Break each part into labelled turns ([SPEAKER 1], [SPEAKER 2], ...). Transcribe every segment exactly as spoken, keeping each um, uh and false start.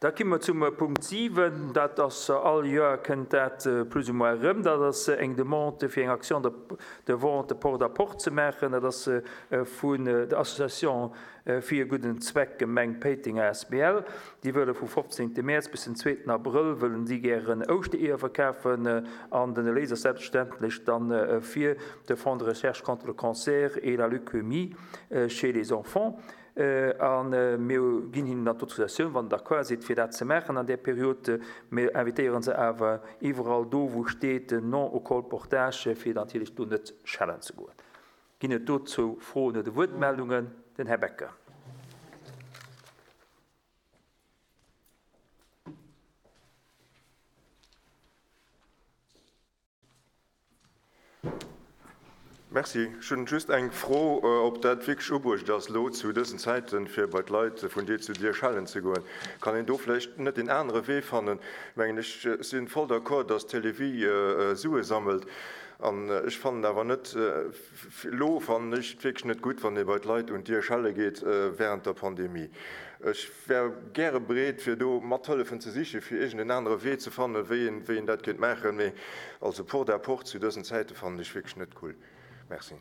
[SPEAKER 1] Da komme mer zum Punkt siwen. Dat ass all Joer kënnt dat plus ou moins erëm. Dat ass eng Demande fir eng Action de, de vente porte à porte ze maachen. Dat ass vun der Association fir e gudden Zweck Gemeng Péiteng A S B L. Déi wëlle vu fofzéngte Mäerz bis den zweeten Abrëll wëllen si gären Ouschtereeër verkafen an den Erléis ass selbstverständlech dann fir de Fonds de recherche contre le cancer et la leucémie chez les enfants. A mir ginn hinnen dann d'Autorisatioun, wann Der d'accord sidd, fir dat ze maachen an där Period. Mir invitéiere se awer iwwerall do, wou steet "non au colportage", fir natierlech do net schellen ze goen. Ginn et dozou Froen oder Wuertmeldungen? Den Här Becker.
[SPEAKER 2] Merci. Ech hunn just eng Fro, ob dat wierklech ubruecht ass, elo zu dësen Zäiten, fir bei d'Leit vun Dier zu Dier schellen ze goen. Kann een do vläicht net een anere Wee fannen? Ech mengen, ech si voll d'accord, dass d'Télévie Sue sammelt. An ech fannen awer net, elo fannen ech et wierklech net gutt, wann ee bei d'Leit un d'Dier schelle geet während der Pandemie. Ech wär gäre bereet, fir do Mathëllefen ze sichen, fir iergend en anere Wee ze fannen, wéi een, wéi een dat kéint maachen. Mee also porte à porte zu dësen Zäite fannen ech wierklech net cool. Merci.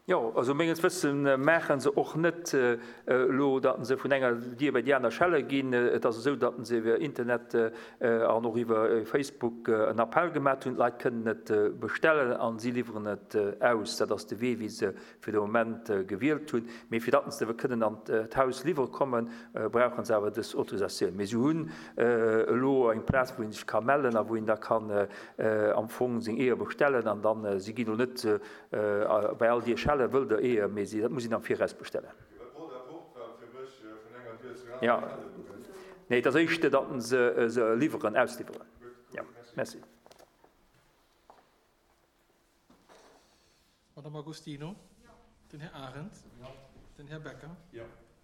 [SPEAKER 1] Jo, also menges Wëssen maache se och net elo, datt se vun enger Dier bei déi aner schelle ginn. Et ass esou, datt se iwwer Internet an och iwwer Facebook en Appell gemaach hunn. D'Leit kënnen et bestellen an si liwweren et aus. Dat ass de Wee, wéi se fir de Moment gewielt hunn. Mee fir datt se kënnen an d'Haus liwwere kommen, brauche se awer dës Autorisatioun. Mee si hunn elo eng Plaz, wou een sech ka mellen a wou een da kann am Fong seng Eeër bestellen. An dann, si ginn elo net bei all Dier schellen, wëllt Der Eeër, mee si, dat muss een am Viraus bestellen. Jo, nee, et ass éischter, datt se se liwweren, ausliwweren. Jo, merci.
[SPEAKER 3] Madame Agostino? Den Här Arendt? Den Här Becker?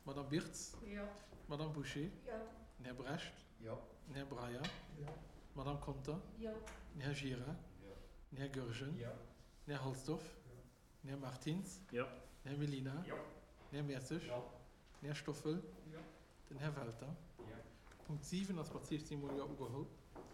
[SPEAKER 3] Madame Birtz? Madame Bouché? Den Här Brecht? Den Här Breyer? Madame Conter? Den Här Gira? Den Här Goergen? Den Här Halsdorf? Den Här Martins? Den Här Mellina? Den Här Mertzig? Den Här Stoffel? Den Här Welter? Punkt siwen ass mat siechzéng Mol Jo ugeholl.